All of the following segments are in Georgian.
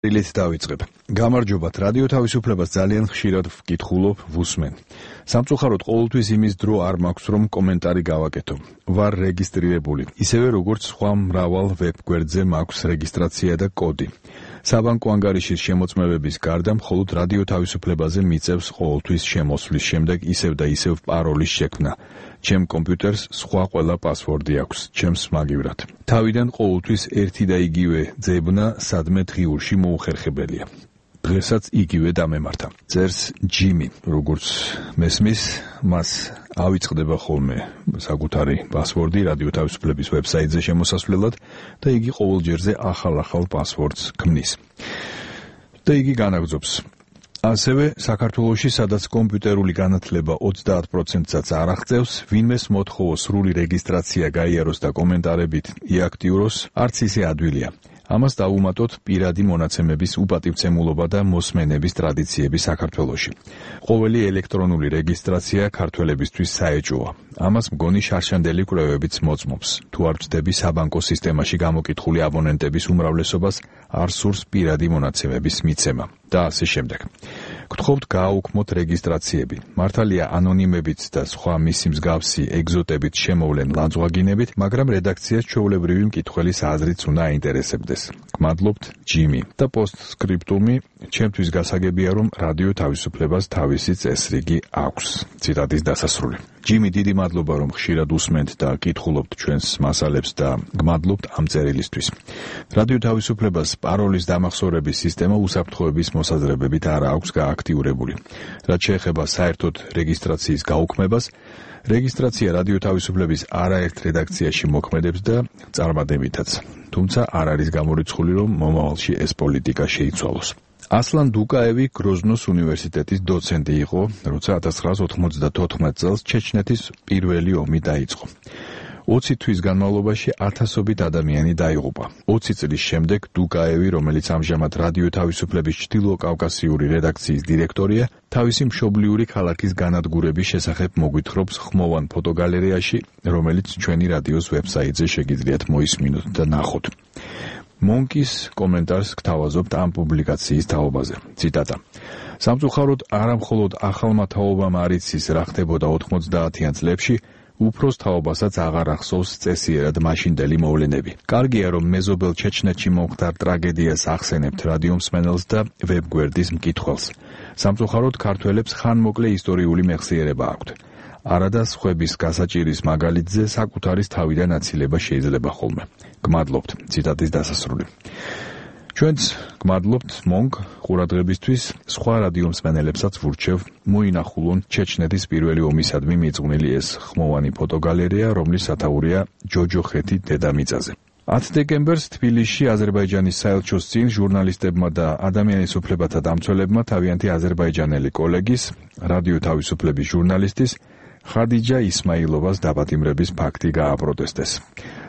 ილით დავიწყებ. გამარჯობათ, რადიო თავისუფლებას ძალიან ხშირად ვკითხულობ, ვუსმენ. სამწუხაროდ ყოველთვის იმის დრო არ მაქვს, რომ კომენტარი გავაკეთო. ვარ რეგისტრირებული, ისევე როგორც სხვა მრავალ ვებგვერდზე მაქვს რეგისტრაცია და კოდი. საბანკო ანგარიშის შემოწმებების გარდა მხოლოდ რადიო თავისუფლებაზე მიწევს ყოველთვის შემოსვლის შემდეგ ისევ და ისევ პაროლის შექმნა. ჩემ კომპიუტერს სხვა ყველა პასვორდი აქვს, ჩემს მაგივრად. თავიდან ყოველთვის ერთი და იგივე ძებნა სადმე დღიურში მოუხერხებელია. დღესაც იგივე დამემართა. წერს ჯიმი, როგორც მესმის, მას ავიწყდება ხოლმე საკუთარი პასვორდი რადიო თავისუფლების ვებსაიტზე შემოსასვლელად და იგი ყოველჯერზე ახალ პასვორდს ქმნის. და იგი განაგრძობს. ასევე საქართველოში, სადაც კომპიუტერული განათლება 30%-საც არ აღწევს, ვინმეს მოთხოვოს სრული რეგისტრაცია გაიაროს და კომენტარებით იაქტიუროს, არც ისე ადვილია. ამას დავუმატოთ პირადი მონაცემების უპატივცემულობა და მოსმენების ტრადიციები საქართველოში. ყოველი ელექტრონული რეგისტრაცია ქართველებისთვის საეჭვოა. ამას მგონი შარშანდელი კვლევებიც მოწმობს. თუ არ ვწდები საბანკო სისტემაში გამოკითხული აბონენტების უმრავლესობას არ სურს პირადი მონაცემების მიცემა და ასე შემდეგ. გთხოვთ გააუქმოთ რეგისტრაციები. მართალია ანონიმებით და სხვა მისი მსგავსი ეგზოტებით შემოვლენ ლანძღვაგინებით, მაგრამ რედაქციას ჩვეულებრივი მკითხველის აზრიც უნდა აინტერესებდეს. გმადლობთ, ჯიმი. და პოსტსკრიპტუმი, ჩემთვის გასაგებია, რომ რადიო თავისუფლებას თავისი წესრიგი აქვს. ციტატის დასასრული. ჯიმი, დიდი მადლობა, რომ ხშირად უსმენთ და კითხულობთ ჩვენს მასალებს და გმადლობთ ამ წერილისთვის. რადიო თავისუფლებას პაროლის დამახსოვრების სისტემა უსაფრთხოების მოსაზრებებით არ აქვს გააქტიურებული. რაც შეეხება საერთოდ რეგისტრაციის გაუქმებას, რეგისტრაცია რადიო თავისუფლების არაერთ რედაქციაში მოქმედებს და წარმატებითაც. თუმცა არ არის გამორიცხული, რომ მომავალში ეს პოლიტიკა შეიცვალოს. ასლან დუკაევი გროზნოს უნივერსიტეტის დოცენტი იყო, როცა 1994 წელს ჩეჩნეთის პირველი ომი დაიწყო. 20 თვის განმავლობაში ათასობით ადამიანი დაიღუპა. 20 წლის შემდეგ დუკაევი, რომელიც ამჟამად რადიო თავისუფლების ჩრდილოკავკასიური რედაქციის დირექტორია, თავისი მშობლიური ქალაქის განადგურების შესახებ მოგვითხრობს ხმოვან ფოტოგალერეაში, რომელიც ჩვენი რადიოს ვებსაიტზე შეგიძლიათ მოისმინოთ და ნახოთ. მონკის კომენტარს გთავაზობთ ამ პუბლიკაციის თაობაზე. ციტატა. სამწუხაროდ არა მხოლოდ ახალმა თაობამ არ იცის რა ხდებოდა 90-იან წლებში, უფროს თაობასაც აღარ ახსოვს წესიერად მაშინდელი მოვლენები. კარგია, რომ მეზობელ ჩეჩნეთში მომხდარ ტრაგედიას ახსენებთ რადიო მსმენელს და ვებგვერდის მკითხველს. სამწუხაროდ ქართველებს ხანმოკლე ისტორიული მეხსიერება აქვთ. არადა სხვების გასაჭირის მაგალითზე საკუთარის თავიდან აცილება შეიძლება ხოლმე. გმადლობთ. ციტატის დასასრული. ჩვენც გმადლობთ მონკ ყურადღებისთვის. სხვა რადიო მსმენელებსაც ვურჩევ მოინახულონ ჩეჩნეთის პირველი ომისადმი მიძღვნილი ეს ხმოვანი ფოტოგალერეა, რომლის სათაურია ჯოჯოხეთი დედამიწაზე. 10 დეკემბერს თბილისში აზერბაიჯანის საელჩოს წინ ჟურნალისტებმა და ადამიანის უფლებათა დამცველებმა თავიანთი აზერბაიჯანელი კოლეგის, რადიო თავისუფლების ჟურნალისტის ხადიჯა ისმაილოვას დაპატიმრების ფაქტი გააპროტესტეს.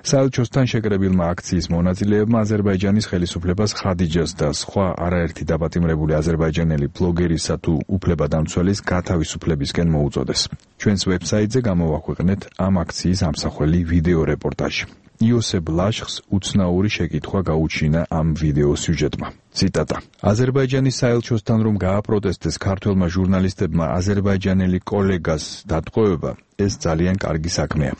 საელჩოსთან შეკრებილმა აქციის მონაწილეებმა აზერბაიჯანის ხელისუფლებას ხადიჯას და სხვა არაერთი დაპატიმრებული აზერბაიჯანელი ბლოგერისა თუ უფლებადამცველის გათავისუფლებისკენ მოუწოდეს. ჩვენს ვებსაიტზე გამოვაქვეყნეთ ამ აქციის ამსახველი ვიდეო რეპორტაჟი. იოსებ ლაშხს უცნაური შეკითხვა გაუჩინა ამ ვიდეო სიუჟეტმა. ციტატა. აზერბაიჯანის საელჩოსთან რომ გააპროტესტეს ქართველმა ჟურნალისტებმა აზერბაიჯანელი კოლეგას დატყვევება, ეს ძალიან კარგი საქმეა.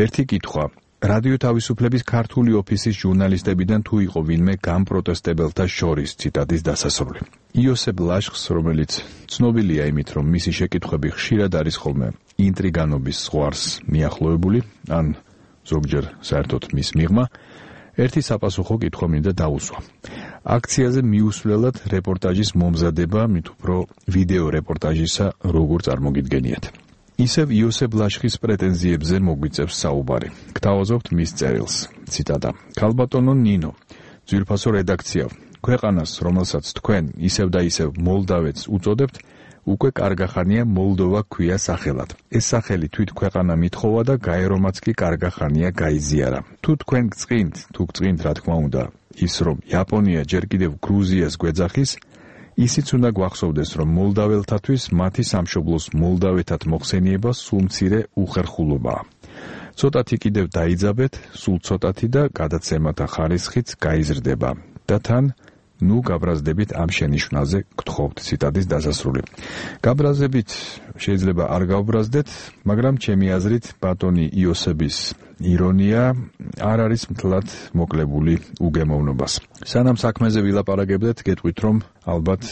ერთი კითხვა. რადიო თავისუფლების ქართული ოფისის ჟურნალისტებიდან თუ იყო ვინმე გამპროტესტებელთა შორის. ციტატის დასასრული. იოსებ ლაშხს, რომელიც ცნობილია იმით, რომ მისი შეკითხვები ხშირად არის ხოლმე ინტრიგანობის ზღვარს მიახლოებული, ან ზოგჯერ საერთოდ მის მიღმა, ერთი საპასუხო კითხვა მინდა დაუსვა. აქციაზე მიუსვლელად რეპორტაჟის მომზადება, მით უფრო ვიდეო რეპორტაჟისა როგორ წარმოგიდგენიათ. ისევ იოსებ ლაშხის პრეტენზიებზე მოგვიწევს საუბარი. გთავაზობთ მის წერილს. ციტატა. ქალბატონო ნინო, ძვირფასო რედაქცია, ქვეყანას, რომელსაც თქვენ ისევ და ისევ მოლდავეთს უწოდებთ, უკვე კარგახანია მოლდოვა ქვია სახელად. ეს სახელი თვით ქვეყანა მithხოვა და გაერომაც კი კარგახანია გაიზიარა. თუ თქვენ გწყინთ, რა თქმა უნდა, ის რომ იაპონია ჯერ კიდევ გრუზიას გვეძახის, ისიც უნდა გვახსოვდეს, რომ მოლდაველთათვის მათი სამშობლოს მოლდავეთად მოხსენიება სულ მცირე უხერხულობაა. ცოტათი კიდევ დაიძაბეთ, სულ ცოტათი და გადაცემათა ხარისხიც გაიზრდება და თან ნუ გაბრაზდებით ამ შენიშვნაზე გთხოვთ. ციტატის დასასრული. გაბრაზებით შეიძლება არ გავბრაზდეთ, მაგრამ ჩემი აზრით ბატონი იოსების ირონია არ არის მთლად მოკლებული უგემოვნობას. სანამ საქმეზე ვილაპარაკებდეთ, გეტყვით რომ ალბათ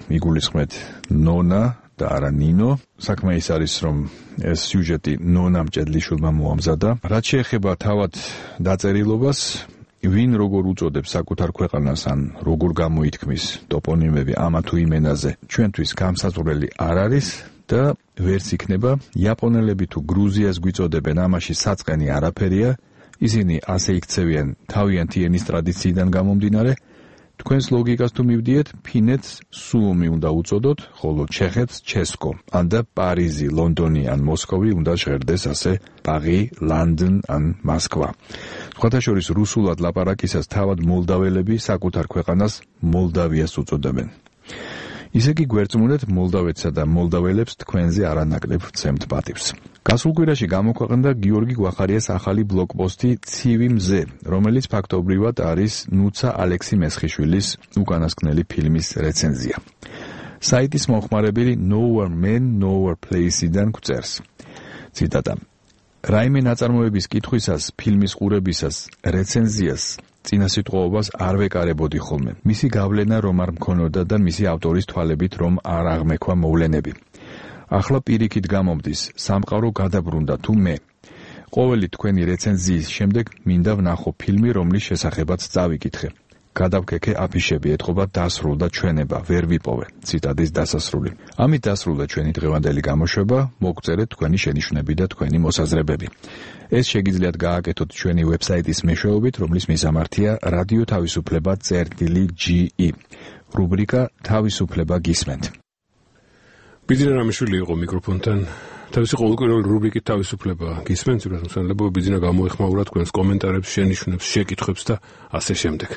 მიგულისხმეთ ნონა და არა ნინო. საქმე ის არის, რომ ეს სიუჟეტი ნონამ ჭედლიშვილმა მოამზადა. რაც შეეხება თავად დაწერილობას, ვინ როგორ უწოდებს საკუთარ ქვეყანას ან როგორ გამოითქმის ტოპონიმები ამა თუ იმ ენაზე, ჩვენთვის გამსაზღვრელი არ არის და ვერც იქნება. იაპონელები თუ გრუზიას გვიწოდებენ, ამაში საწყენი არაფერია. ისინი ასე იქცევიან თავიანთი ენის ტრადიციიდან გამომდინარე. თქვენს ლოგიკას თუ მივდიეთ, ფინეთს სუომი უნდა უწოდოთ, ხოლო ჩეხეთს ჩესკო. ან და პარიზი, ლონდონი ან მოსკოვი უნდა ჟღერდეს ასე პარი, ლანდენ ან მოსკვა. სხვათა შორის რუსულად ლაპარაკისას თავად მოლდაველები საკუთარ ქვეყანას მოლდავიას უწოდებენ. ისე კი გვერწმუნეთ მოლდავეთსა და მოლდაველებს თქვენზე არანაკლებ ვცემთ პატივს. გასულ კვირაში გამოქვეყნდა გიორგი გვახარიას ახალი ბლოგპოსტი ცივი მზე, რომელიც ფაქტობრივად არის ნუცა ალექსი მესხიშვილის უკანასკნელი ფილმის რეცენზია. საიტის მომხმარებელი Nowhere Man Nowhere Place-დან გვწერს. ციტატა: რაიმე ნაწარმოების კითხვისას, ფილმის ყურებისას, რეცენზიას წინასიტყვაობას არ ვეკარებოდი ხოლმე. მისი გავლენა რომ არ მქონოდა და მისი ავტორის თვალებით რომ არ აღმექვა მოვლენები. ახლა პირიქით გამომდის, სამყარო გადაბრუნდა თუ მე. ყოველი თქვენი რეცენზიის შემდეგ მინდა ვნახო ფილმი, რომლის შესახებაც წავიკითხე. გადავქეკე აფიშები, ეთყობა დასრულდა ჩვენება, ვერ ვიპოვე. ციტატის დასასრული. ამით დასრულდა ჩვენი დღევანდელი გამოშვება, მოგწერეთ თქვენი შენიშვნები და თქვენი მოსაზრებები. ეს შეგიძლიათ გააკეთოთ ჩვენი ვებსაიტის მეშვეობით, რომლის მისამართია რადიო თავისუფლება.ge. რუბრიკა თავისუფლება გისმენთ. ბიძინა რამიშვილი იყო მიკროფონთან. თავისი ყოველკვირეული რუბრიკით თავისუფლება გისმენთ, უბრალოდ მოსალოდნელობა ბიძინა გამოეხმაურა თქვენს კომენტარებს, შენიშვნებს, შეკითხვებს და ასე შემდეგ.